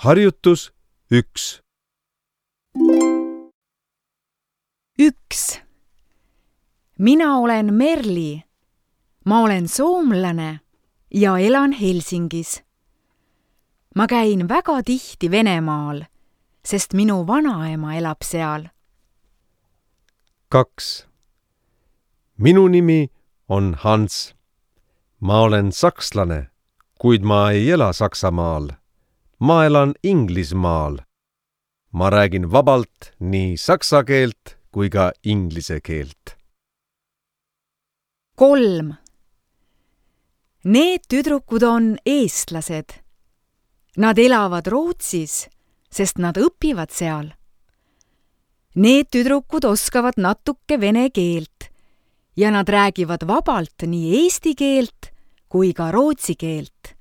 Harjutus 1. 1. Mina olen Merli. Ma olen soomlane ja elan Helsingis. Ma käin väga tihti Venemaal, sest minu vanaema elab seal. 2. Minu nimi on Hans. Ma olen sakslane, kuid ma ei ela Saksamaal. Ma elan Inglismaal. Ma räägin vabalt nii saksa keelt kui ka inglise keelt. 3. Need tüdrukud on eestlased. Nad elavad Rootsis, sest nad õpivad seal. Need tüdrukud oskavad natuke vene keelt ja nad räägivad vabalt nii eesti keelt kui ka rootsi keelt.